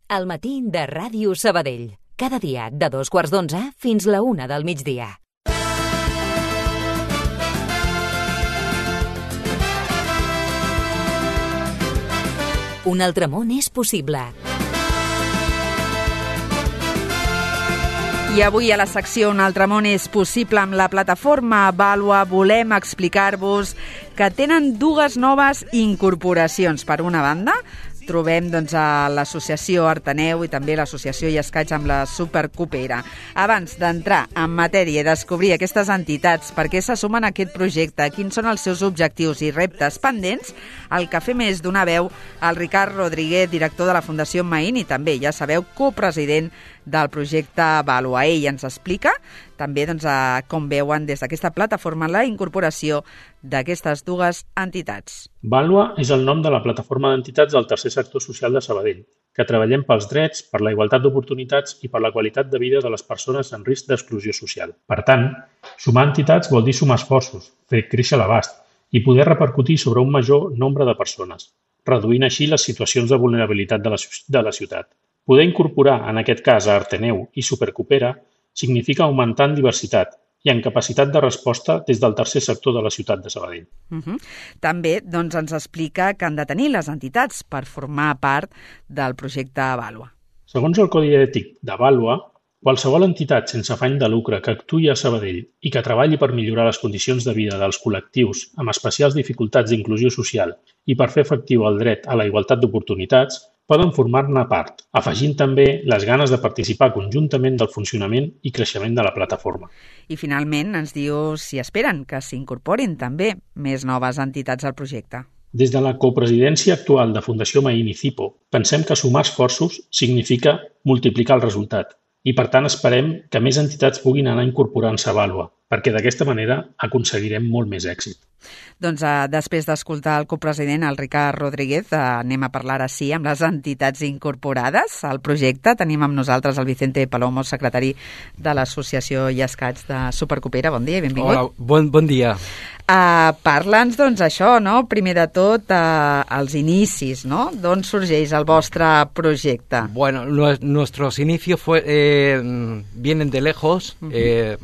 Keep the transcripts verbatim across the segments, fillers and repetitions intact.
El matí de Ràdio Sabadell. Cada dia de dos quarts d'onze fins la una del migdia. Un altre món és possible. I avui a la secció Un altre món és possible amb la plataforma Vàlua volem explicar-vos que tenen dues noves incorporacions. Per una banda, trobem doncs, a l'associació Arteneu i també l'associació Llescaig amb la Supercopera. Abans d'entrar en matèria i descobrir aquestes entitats, per què se sumen a aquest projecte, quins són els seus objectius i reptes pendents, el que fem és donar veu al Ricard Rodríguez, director de la Fundació Maín i també, ja sabeu, copresident del projecte Vàlua. Ell ens explica també doncs, a com veuen des d'aquesta plataforma la incorporació d'aquestes dues entitats. Vàlua és el nom de la plataforma d'entitats del tercer sector social de Sabadell, que treballem pels drets, per la igualtat d'oportunitats i per la qualitat de vida de les persones en risc d'exclusió social. Per tant, sumar entitats vol dir sumar esforços, fer créixer l'abast i poder repercutir sobre un major nombre de persones, reduint així les situacions de vulnerabilitat de la, de la ciutat. Poder incorporar, en aquest cas, a Arteneu i Supercopera significa augmentar en diversitat i en capacitat de resposta des del tercer sector de la ciutat de Sabadell. Uh-huh. També doncs, ens explica que han de tenir les entitats per formar part del projecte Vàlua. Segons el Codi Ètic de Vàlua, qualsevol entitat sense afany de lucre que actuï a Sabadell i que treballi per millorar les condicions de vida dels col·lectius amb especials dificultats d'inclusió social i per fer efectiu el dret a la igualtat d'oportunitats, poden formar-ne part, afegint també les ganes de participar conjuntament del funcionament i creixement de la plataforma. I finalment ens diu si esperen que s'incorporin també més noves entitats al projecte. Des de la copresidència actual de Fundació Maín i Cipo, pensem que sumar esforços significa multiplicar el resultat i, per tant, esperem que més entitats puguin anar incorporant-se a Vàlua, perquè d'aquesta manera aconseguirem molt més èxit. Doncs eh, després d'escoltar el copresident, el Ricard Rodríguez, eh, anem a parlar ara sí amb les entitats incorporades al projecte. Tenim amb nosaltres el Vicente Palomo, secretari de l'Associació Llescaig de Supercopera. Bon dia i benvingut. Hola, bon, bon dia. Uh, Parla'ns, doncs, això, no? Primer de tot, uh, els inicis, no? D'on sorgeix el vostre projecte? Bueno, nuestros inicios fue, eh, vienen de lejos. Uh-huh. eh,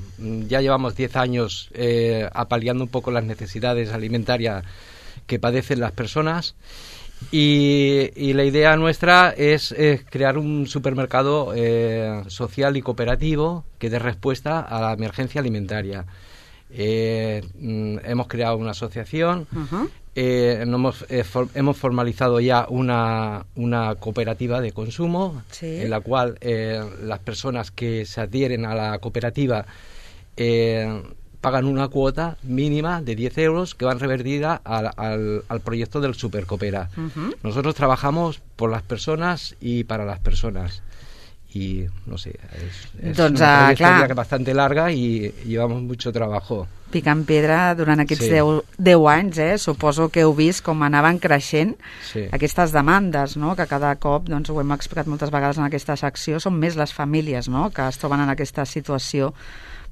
ya llevamos diez años eh, apaleando un poco las necesidades alimentarias que padecen las personas. Y, y la idea nuestra es, es crear un supermercado eh, social y cooperativo que dé respuesta a la emergencia alimentaria. Eh, hemos creado una asociación, uh-huh. eh, hemos, eh, for, hemos formalizado ya una, una cooperativa de consumo, sí. En la cual eh, las personas que se adhieren a la cooperativa eh, pagan una cuota mínima de diez euros que van revertida al, al, al proyecto del Supercopera. Uh-huh. Nosotros trabajamos por las personas y para las personas. Y no sé, es, es doncs, una trayectoria clar, bastante larga y llevamos mucho trabajo. Picant pedra durant aquests sí. deu anys, eh? Suposo que heu vist com anaven creixent sí. aquestes demandes, no? Que cada cop, doncs ho hem explicat moltes vegades en aquesta secció, són més les famílies, no? Que es troben en aquesta situació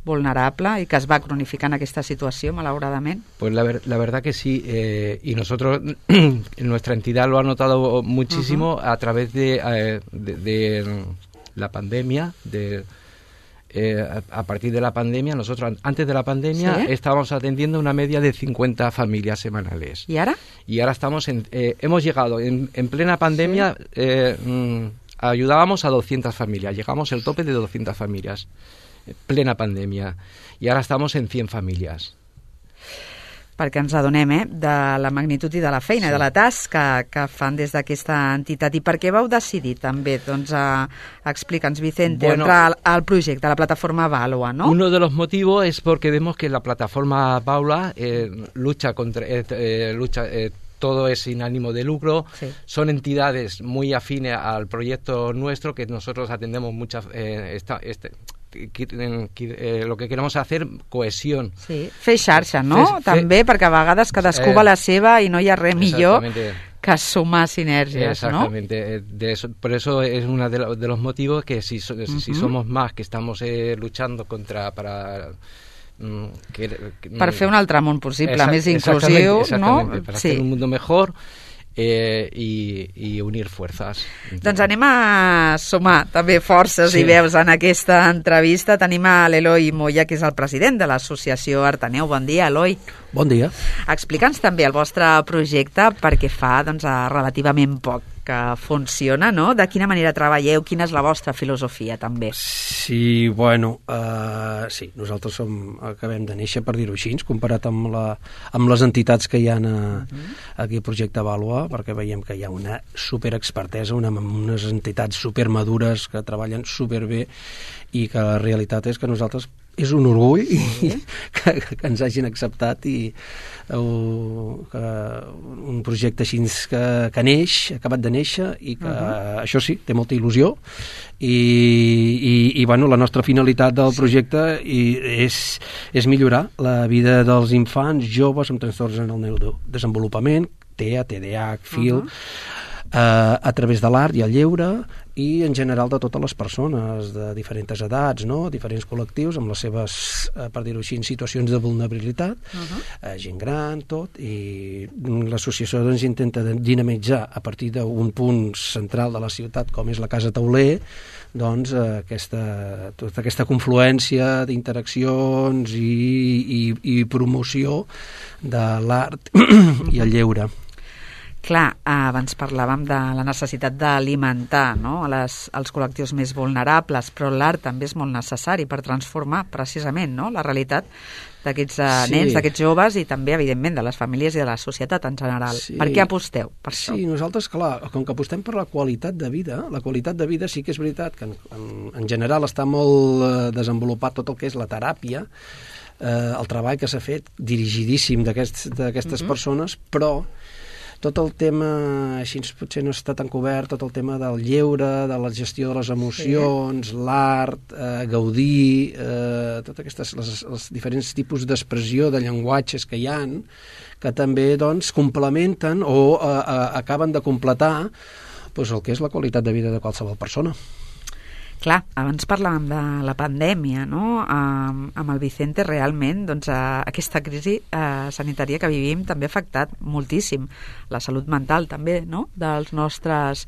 vulnerable y que es va cronificando esta situación, malauradamente. Pues la, ver, la verdad que sí, eh, y nosotros, nuestra entidad lo ha notado muchísimo uh-huh. a través de, eh, de, de la pandemia, de eh, a, a partir de la pandemia, nosotros antes de la pandemia ¿sí? estábamos atendiendo una media de cincuenta familias semanales. ¿Y ahora? Y ahora estamos en, eh, hemos llegado en, en plena pandemia, ¿sí? eh, mm, ayudábamos a doscientas familias, llegamos al tope de doscientas familias. Plena pandèmia, i ara estamos en cent famílies. Perquè ens adonem eh, de la magnitud i de la feina, sí. de la tasca que fan des d'aquesta entitat. I per què vau decidir també, doncs, a, a explica'ns, Vicente, bueno, entrar al, al projecte, a la plataforma Vàlua, ¿no? Uno de los motivos es porque vemos que la plataforma Vàlua eh, lucha contra... Eh, eh, lucha eh, todo es sin ánimo de lucro, sí. Son entidades muy afines al proyecto nuestro, que nosotros atendemos muchas... Eh, esta, este, Eh, lo que queremos hacer, cohesión. Sí, fer xarxa, no? Fer, També, fer, perquè a vegades cadascú eh, va la seva i no hi ha res millor que sumar sinergies, exactamente. ¿No? Eh, de eso, por eso es uno de, lo, de los motivos que si, si uh-huh. somos más, que estamos eh, luchando contra... para mm, que, que, per fer un altre món possible, exact, més inclusiu, exactamente, exactamente, no? Para sí. hacer un mundo mejor. eh, i, i unir fuerzas. Doncs anem a sumar també forces Sí. i veus en aquesta entrevista. Tenim a l'Eloi Moya, que és el president de l'associació Artaneu. Bon dia, Eloi. Bon dia. Explica'ns també el vostre projecte, perquè fa doncs, relativament poc que funciona, no? De quina manera treballeu, quina és la vostra filosofia, també? Sí, bueno, uh, sí, nosaltres som, acabem de néixer, per dir-ho així, comparat amb, la, amb les entitats que hi ha a, uh-huh. aquí al projecte Vàlua, perquè veiem que hi ha una superexpertesa, una, unes entitats supermadures que treballen superbé i que la realitat és que nosaltres és un orgull sí. que, que ens hagin acceptat i uh, que un projecte així que, que neix, acabat de néixer i que uh-huh. això sí, té molta il·lusió i, i, i bueno, la nostra finalitat del projecte i és, és millorar la vida dels infants, joves amb trastorns en el neurodesenvolupament, T E A, T D A H, F I L, uh-huh. Uh, a través de l'art i el lleure i en general de totes les persones de diferents edats, no? Diferents col·lectius amb les seves, uh, per dir-ho així, situacions de vulnerabilitat, uh-huh. uh, gent gran, tot, i l'associació doncs, intenta dinamitzar a partir d'un punt central de la ciutat com és la Casa Tauler, doncs uh, aquesta, tota aquesta confluència d'interaccions i, i, i promoció de l'art i el lleure. Clar, abans parlàvem de la necessitat d'alimentar, no? a les, als col·lectius més vulnerables, però l'art també és molt necessari per transformar precisament, no? la realitat d'aquests uh, sí. nens, d'aquests joves i també, evidentment, de les famílies i de la societat en general. Sí. Per què aposteu per això? Sí, nosaltres, clar, com que apostem per la qualitat de vida, la qualitat de vida sí que és veritat que en, en, en general està molt eh, desenvolupat tot el que és la teràpia, eh, el treball que s'ha fet dirigidíssim d'aquestes mm-hmm. persones, però tot el tema, així potser no està tan cobert, tot el tema del lleure, de la gestió de les emocions, sí. l'art, eh, gaudir, eh, totes aquestes, les, els diferents tipus d'expressió de llenguatges que hi ha, que també doncs, complementen o eh, eh, acaben de completar doncs, el que és la qualitat de vida de qualsevol persona. Clar, abans parlàvem de la pandèmia, no? Um, amb el Vicente, realment, doncs, uh, aquesta crisi uh, sanitària que vivim també ha afectat moltíssim la salut mental, també, no?, dels nostres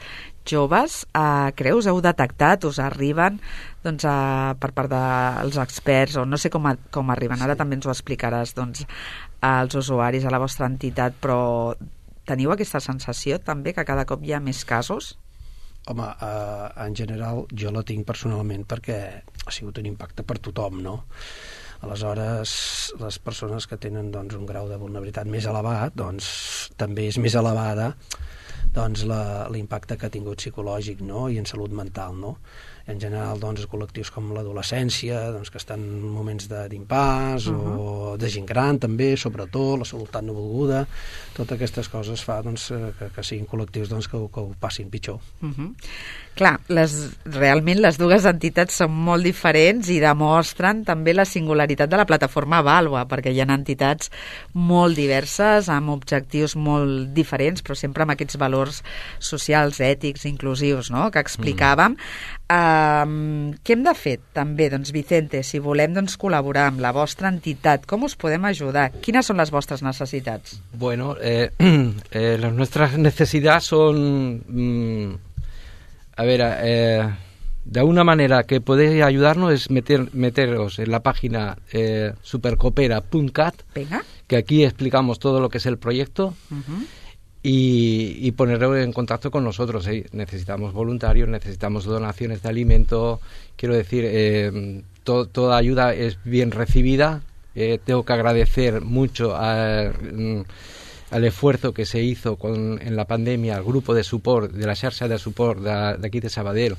joves. Uh, creus, heu detectat, us arriben doncs, uh, per part dels experts, o no sé com, a, com arriben, ara sí. també ens ho explicaràs, doncs, als usuaris, a la vostra entitat, però teniu aquesta sensació també que cada cop hi ha més casos? Home, eh, en general jo la tinc personalment perquè ha sigut un impacte per tothom, no? Aleshores, les persones que tenen doncs, un grau de vulnerabilitat més elevat, doncs també és més elevada doncs, l'impacte que ha tingut psicològic, no? I en salut mental, no? En general, doncs, col·lectius com l'adolescència, doncs, que estan en moments d'impàs, uh-huh. o de gent gran també, sobretot, la salutat no volguda, totes aquestes coses fa doncs, que, que siguin col·lectius doncs, que, que ho passin pitjor. Uh-huh. Clar, les, realment les dues entitats són molt diferents i demostren també la singularitat de la plataforma Vàlua, perquè hi ha entitats molt diverses, amb objectius molt diferents, però sempre amb aquests valors socials, ètics, inclusius, no?, que explicàvem. Mm. Um, què hem de fer també, doncs, Vicente, si volem doncs, col·laborar amb la vostra entitat, com us podem ajudar? Quines són les vostres necessitats? Bueno, eh, eh, las nuestras necesidades son... Mm, a ver, eh, de una manera que podéis ayudarnos es meter, meteros en la página eh, supercoopera punto cat, que aquí explicamos todo lo que es el proyecto. Uh-huh. Y, y ponerlo en contacto con nosotros. ¿eh? Necesitamos voluntarios, necesitamos donaciones de alimento. Quiero decir, eh, to, toda ayuda es bien recibida. Eh, tengo que agradecer mucho a, mm, al esfuerzo que se hizo con, en la pandemia, al grupo de support, de la xarxa de support de, de aquí de Sabadell,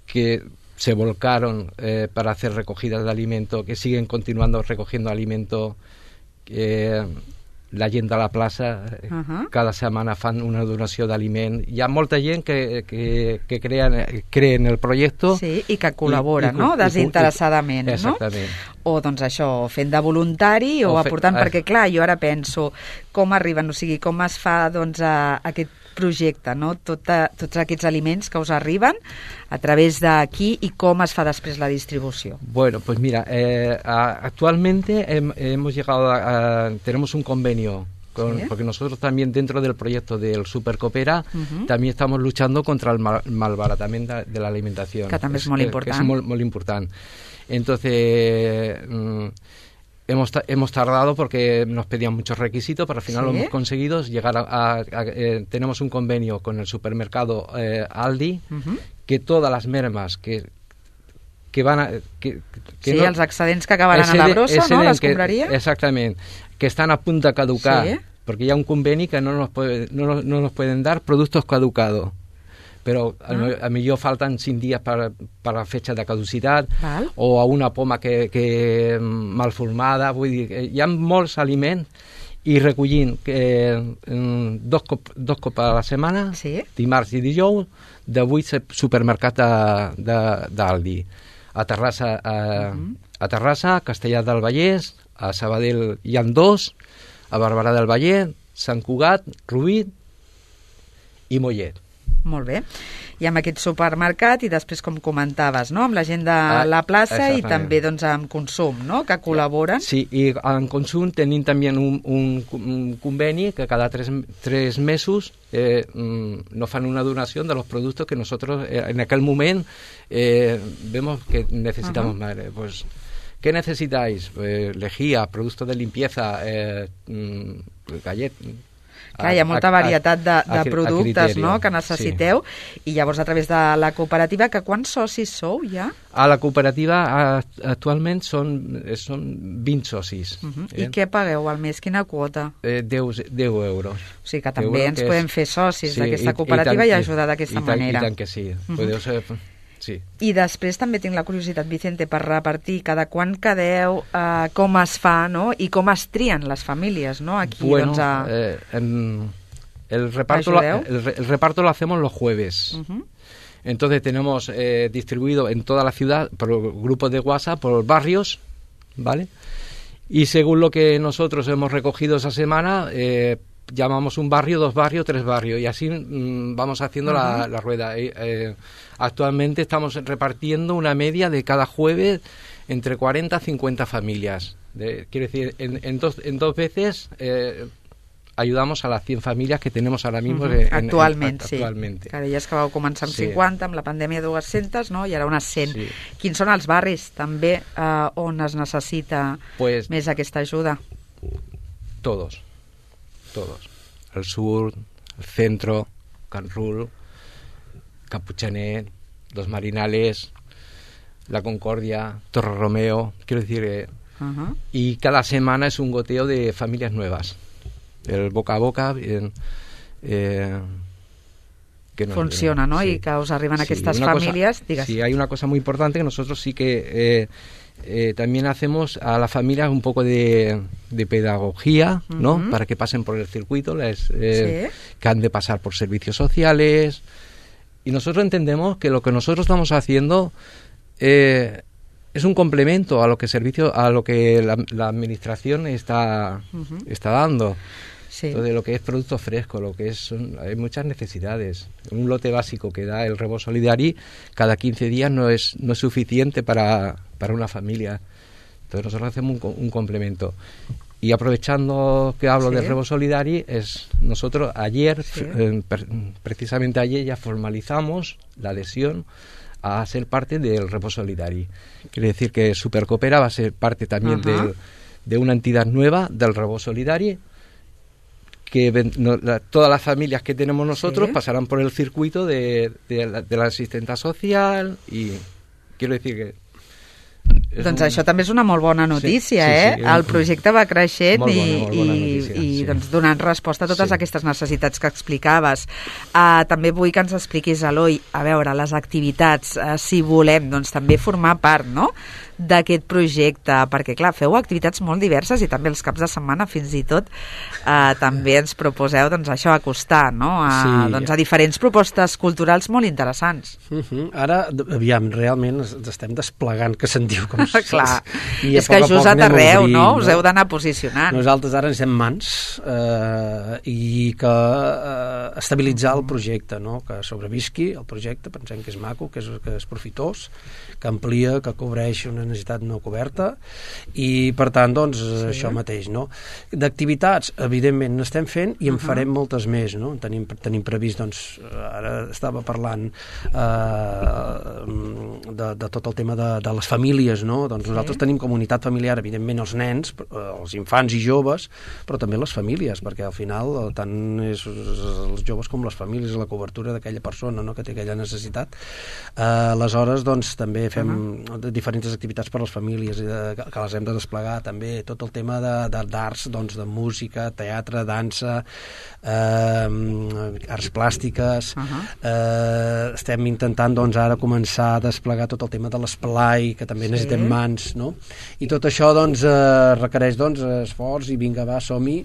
que se volcaron eh, para hacer recogidas de alimento, que siguen continuando recogiendo alimento. Eh, la gent de la plaça uh-huh. cada setmana fan una donació d'aliment. Hi ha molta gent que, que, que crea, cree en el projecte. Sí, i que col·labora, i, i, no?, desinteressadament, i, exactament. No? O, doncs, això, fent de voluntari o, o aportant, fe... perquè, clar, jo ara penso com arriben, o sigui, com es fa, doncs, a, a aquest projecte, no? Tota, tots aquests aliments que us arriben a través d'aquí i com es fa després la distribució. Bueno, pues mira, eh, actualmente hem, hemos llegado a, a, tenemos un convenio con, ¿Sí? porque nosotros también dentro del proyecto del Supercoopera Uh-huh. también estamos luchando contra el mal, malbaratamiento de, de la alimentación. Que també és molt important. Que es muy, muy importante. Entonces, mm, hemos, hemos tardado porque nos pedían muchos requisitos, pero al final ¿Sí? lo hemos conseguido llegar a... a, a eh, tenemos un convenio con el supermercado eh, Aldi, Uh-huh. que todas las mermas que que van a... Que, que Sí, no, els excedents que acabaran a la exceden- brossa, no?, exceden les que- compraria. Exactament, que están a punto de caducar, Sí. porque ya un conveni que no nos, puede, no, nos- no nos pueden dar productos caducados. Pero a, Ah. a mí yo faltan cien días para, para la fecha de caducitat, Val. o a una poma que, que mal formada, vull dir, que hi ha molts aliments, i recollint que, eh, dos, cop, dos copes a la setmana, Sí. dimarts i dijous, de vuit supermercats de- de- d'Aldi. A Terrassa, a, Mhm. a Terrassa, Castellar del Vallès, a Sabadell hi ha dos, a Barberà del Vallès, Sant Cugat, Rubí i Mollet. Molt bé. I amb aquest supermercat i després, com comentaves, no?, amb la gent de Ah, la plaça i exactament. també doncs, amb consum, no?, que col·laboren. Sí, y en Consum tenim también un, un, un conveni que cada tres, tres mesos eh, mm, nos fan una donación de los productos que nosotros eh, en aquel momento eh, vemos que necesitamos Ajá. más. Eh, pues, ¿qué necesitáis? Eh, lejía, productos de limpieza, eh, mm, galletas... Clar, hi ha molta varietat de, de productes, no?, que Sí. necessiteu, i llavors a través de la cooperativa, que quants socis sou ja? A la cooperativa a- actualment són, eh, són vint socis. Uh -huh. eh? I què pagueu al mes? Quina quota? Eh, deu, deu euros. O sigui que Deu també euros ens que podem és- fer socis Sí, d'aquesta i- cooperativa i, i tant- ajudar d'aquesta i tant- manera. I tant que sí. Mhm. Podeu ser... Sí. I després també tinc la curiositat, Vicente, per repartir cada quan quedeu, eh, com es fa, no?, i com es trien les famílies, no?, aquí, Bueno, doncs, a... eh, em, el, reparto lo, ¿Ayudeu? el, re- el reparto lo hacemos los jueves. Uh-huh. Entonces tenemos eh, distribuido en toda la ciudad por grupos de WhatsApp, por barrios, ¿vale? Y según lo que nosotros hemos recogido esa semana, eh, llamamos un barrio, dos barrios, tres barrios, y así mm, vamos haciendo la, la rueda. Eh, eh, actualmente estamos repartiendo una media de cada jueves entre cuarenta a cincuenta familias. De, quiere decir, en, en, dos, en dos veces eh, ayudamos a las cien familias que tenemos ahora mismo. Uh-huh. en- en- Actualment, en- sí. actualmente. Que deies que vau començar amb Sí. cinquanta, amb la pandèmia dues-centes, no?, i ara unes cent. Sí. Quins són els barris, també, eh, on es necessita Pues més aquesta ajuda? todos, todos. El sur, el centro, Can Rul, Capuchanet, Los Marinales, La Concordia, Torre Romeo, quiero decir, eh, Uh-huh. y cada semana es un goteo de familias nuevas. El boca a boca, eh, eh, que nos- Funciona, no? sí. I que us arriben Sí, aquestes una cosa- famílies, digues. Sí, hay una cosa muy importante que nosotros sí que eh, eh, también hacemos a las familias un poco de, de pedagogía, ¿no? Ujú. Para que pasen por el circuito, les, eh, Sí. que han de pasar por servicios sociales. Y nosotros entendemos que lo que nosotros estamos haciendo eh, es un complemento a lo que servicio, a lo que la, la administración está, Ujú. está dando. Sí. Entonces, lo que es producto fresco, lo que es, son- hay muchas necesidades. Un lote básico que da el Rebo Solidari cada quince días no es, no es suficiente para, para una familia. Entonces nosotros hacemos un, co- un complemento. Y aprovechando que hablo Sí. del Rebo Solidari, es nosotros ayer, Sí. eh, per- precisamente ayer ya formalizamos la adhesión a ser parte del Rebo Solidari. Quiere decir que Supercoopera va a ser parte también Ajá. del- de una entidad nueva del Rebo Solidari, que ven- no- la- todas las familias que tenemos nosotros Sí. pasarán por el circuito de, de la, de la asistenta social, y quiero decir que és Doncs un- això també és una molt bona notícia, Sí, sí, eh? sí, El un- projecte va creixent Molt bona, i, molt bona i, notícia, i sí. doncs, donant resposta a totes Sí. aquestes necessitats que explicaves. Uh, també vull que ens expliquis, Eloi, a veure, les activitats, uh, si volem, doncs també formar part, no?, d'aquest projecte, perquè clar, feu activitats molt diverses i també els caps de setmana fins i tot uh, també ens proposeu doncs això, acostar, no?, a, Sí. doncs, a diferents propostes culturals molt interessants. Uh -huh. Ara, d- aviam, realment es- estem desplegant, que se'n diu, com Doncs, Clar, i a és que poc a just poc a anem arreu, obrint, no? Us heu d'anar posicionant. Nosaltres ara ens hem mans eh, i que eh, estabilitzar el projecte, no? Que sobrevisqui el projecte, pensem que és maco, que és, que és profitós, que amplia, que cobreix una necessitat no coberta i per tant, doncs, sí. això mateix, no? D'activitats, evidentment, n'estem fent i en uh -huh. farem moltes més, no? Tenim, tenim previst, doncs, ara estava parlant eh, de, de tot el tema de, de les famílies, no? Doncs sí. nosaltres tenim comunitat familiar, evidentment els nens, els infants i joves, però també les famílies, perquè al final tant és els joves com les famílies, la cobertura d'aquella persona, no? Que té aquella necessitat. Eh, aleshores, doncs, també fem uh -huh. diferents activitats per a les famílies eh, que les hem de desplegar, també tot el tema d'arts, doncs, de música, teatre, dansa, eh, arts plàstiques. Uh -huh. eh, estem intentant, doncs, ara començar a desplegar tot el tema de l'esplai, que també sí. necessitem mans, no? I tot això, doncs, eh, requereix, doncs, esforç i vinga, va, som-hi.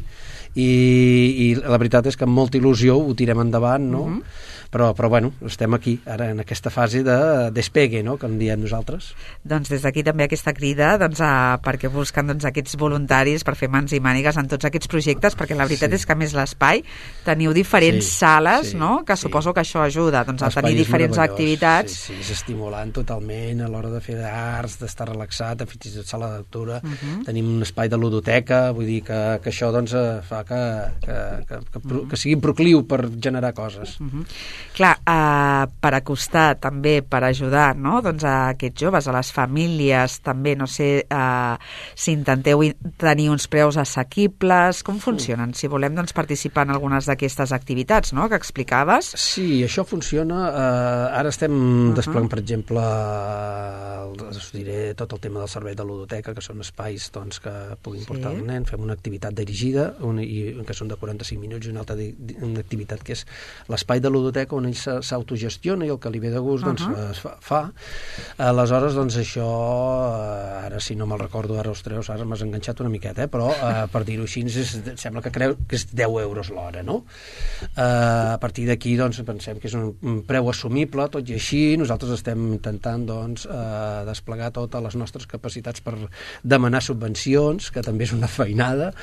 I, i la veritat és que amb molta il·lusió ho tirem endavant, no? Uh -huh. Però, però bueno, estem aquí, ara, en aquesta fase de despegue, no?, que en diem nosaltres. Doncs des d'aquí també aquesta crida, doncs, a, perquè busquen, doncs, aquests voluntaris per fer mans i mànigues en tots aquests projectes, perquè la veritat sí. és que, a més, l'espai, teniu diferents sí, sales, sí, no?, que sí. suposo que això ajuda, doncs, a tenir diferents activitats. Sí, sí, és estimulant totalment a l'hora de fer arts, d'estar relaxat, de fins i tot sala de lectura. Uh -huh. Tenim un espai de ludoteca, vull dir que, que això, doncs, fa que, que, que, que, uh -huh. que sigui procliu per generar coses. Uh -huh. Clar, eh, per acostar també, per ajudar, no?, doncs, a aquests joves, a les famílies, també, no sé eh, si intenteu tenir uns preus assequibles, com funcionen? Si volem, doncs, participar en algunes d'aquestes activitats, no?, que explicaves. Sí, això funciona. Eh, ara estem uh -huh. desplegant, per exemple, eh, us diré tot el tema del servei de ludoteca, que són espais, doncs, que puguin sí. portar el nen, fem una activitat dirigida, una, i, que són de quaranta-cinc minuts, i una altra di, una activitat que és l'espai de ludoteca, on ell s'autogestiona i el que li ve de gust, doncs, uh -huh. es fa, fa. Aleshores, doncs, això, ara, si no me'l recordo, ara, ostres, ara m'has enganxat una miqueta, eh? Però, eh, per dir-ho així, és, sembla que creu que és deu euros l'hora, no? Eh, a partir d'aquí, doncs, pensem que és un, un preu assumible, tot i així, nosaltres estem intentant, doncs, eh, desplegar totes les nostres capacitats per demanar subvencions, que també és una feinada,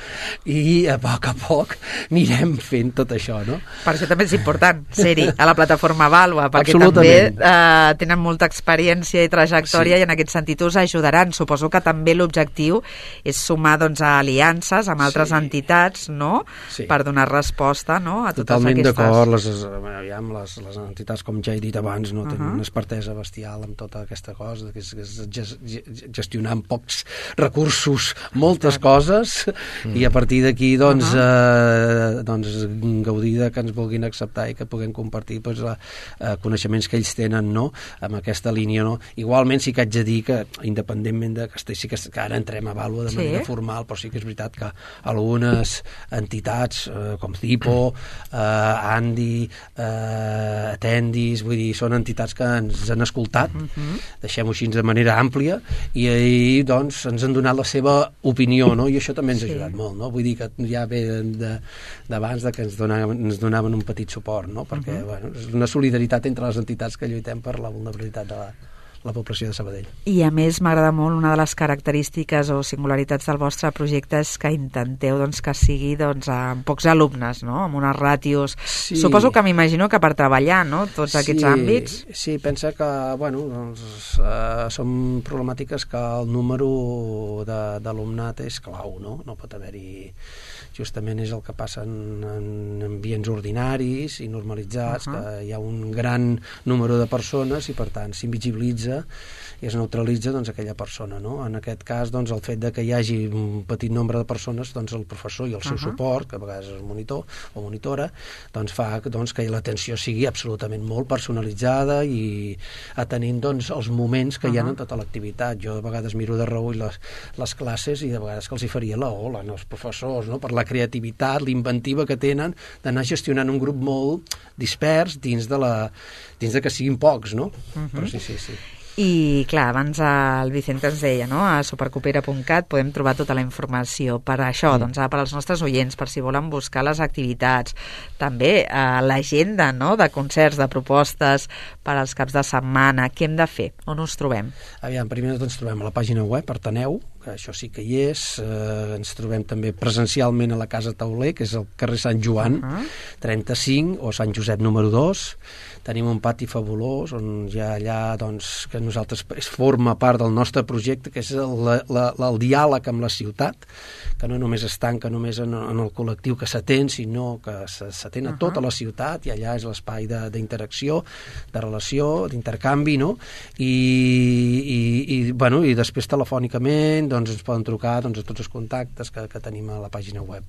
i a poc a poc anirem fent tot això, no? Per això també és important ser-hi a la plataforma Vàlua, perquè també eh, tenen molta experiència i trajectòria sí. i en aquest sentit us ajudaran. Suposo que també l'objectiu és sumar, doncs, a aliances amb altres sí. entitats, no?, sí. per donar resposta, no?, a totes Totalment aquestes... Totalment d'acord, les, aviam, les, les entitats, com ja he dit abans, no, uh -huh. tenen una expertesa bestial amb tota aquesta cosa, que és, és gestionar amb pocs recursos moltes coses, mm. i a partir d'aquí, doncs, uh -huh. eh, doncs, gaudir de que ens vulguin acceptar i que puguem compartir, doncs, la, eh, coneixements que ells tenen, no?, amb aquesta línia, no? Igualment sí que haig de dir que, independentment de que, sí que, que ara entrem a Vàlua de sí. manera formal, però sí que és veritat que algunes entitats, eh, com Cipo, eh, Andi, eh, Atendis, vull dir, són entitats que ens han escoltat, uh -huh. deixem-ho així de manera àmplia, i ahir, doncs, ens han donat la seva opinió, no?, i això també ens ha ajudat sí. molt, no?, vull dir que ja ve d'abans de, de que ens donaven, ens donaven un petit suport, no?, perquè, uh -huh. bueno, és una solidaritat entre les entitats que lluitem per la vulnerabilitat de la, la població de Sabadell. I a més m'agrada molt, una de les característiques o singularitats del vostre projecte és que intenteu, doncs, que sigui, doncs, amb pocs alumnes, no?, amb unes ràtios. Sí. Suposo que m'imagino que per treballar, no?, tots sí, aquests àmbits. Sí, pensa que, bueno, doncs, eh, són problemàtiques que el número d'alumnat és clau, no? No pot haver-hi... Justament és el que passa en, en ambients ordinaris i normalitzats, uh -huh. que hi ha un gran número de persones i, per tant, s'invisibilitza i es neutralitza, doncs, aquella persona, no? En aquest cas, doncs, el fet de que hi hagi un petit nombre de persones, doncs, el professor i el seu uh -huh. suport, que a vegades és el monitor o monitora, doncs, fa, doncs, que l'atenció sigui absolutament molt personalitzada i atenent, doncs, els moments que uh -huh. hi ha en tota l'activitat. Jo a vegades miro de reüll les, les classes i de vegades que els hi faria la ola, no? Els professors, no?, per la creativitat, l'inventiva que tenen d'anar gestionant un grup molt dispers dins de la dins de que siguin pocs, no? Uh -huh. Però sí, sí, sí. I, clar, abans el Vicente ens deia, no?, a supercopera punt cat podem trobar tota la informació. Per això, doncs, per als nostres oients, per si volen buscar les activitats, també eh, l'agenda, no?, de concerts, de propostes per als caps de setmana, què hem de fer? On us trobem? Aviam, primer ens trobem a la pàgina web, Arteneu, que això sí que hi és. Eh, ens trobem també presencialment a la Casa Tauler, que és el carrer Sant Joan, uh -huh. trenta-cinc, o Sant Josep número dos. Tenim un pati fabulós on hi ha allà, doncs, que nosaltres forma part del nostre projecte, que és el, la, la, el diàleg amb la ciutat, que no només es tanca només en, en el col·lectiu que s'atén, sinó que s'atén a uh -huh. tota la ciutat, i allà és l'espai d'interacció, de, de relació, d'intercanvi, no? I, i, i, bueno, i després telefònicament doncs ens poden trucar, doncs, a tots els contactes que, que tenim a la pàgina web.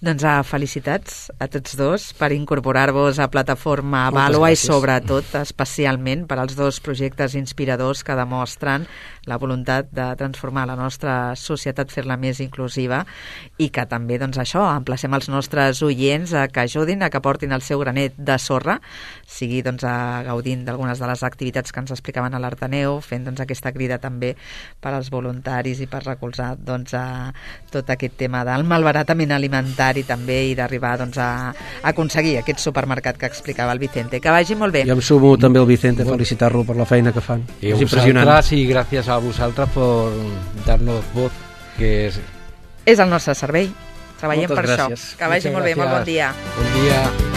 Doncs uh, felicitats a tots dos per incorporar-vos a Plataforma Vàlua i sobretot, especialment, per als dos projectes inspiradors que demostren la voluntat de transformar la nostra societat, fer-la més inclusiva, i que també, doncs això, emplacem els nostres oients a que ajudin, a que portin el seu granet de sorra, sigui doncs a gaudint d'algunes de les activitats que ens explicaven a l'Arteneu, fent doncs aquesta crida també per als voluntaris i per recolzar doncs a tot aquest tema del malbaratament alimentari també, i d'arribar doncs a aconseguir aquest supermercat que explicava el Vicente. Que vagi molt bé. Jo em sumo també al Vicente a felicitar-lo per la feina que fan. I és impressionant. I gràcies a vosaltres per dar-nos voz, que és... És el nostre servei. Treballem Moltes per gràcies. això. Que vagi Moltes molt bé, gràcies. molt bon dia. Bon dia.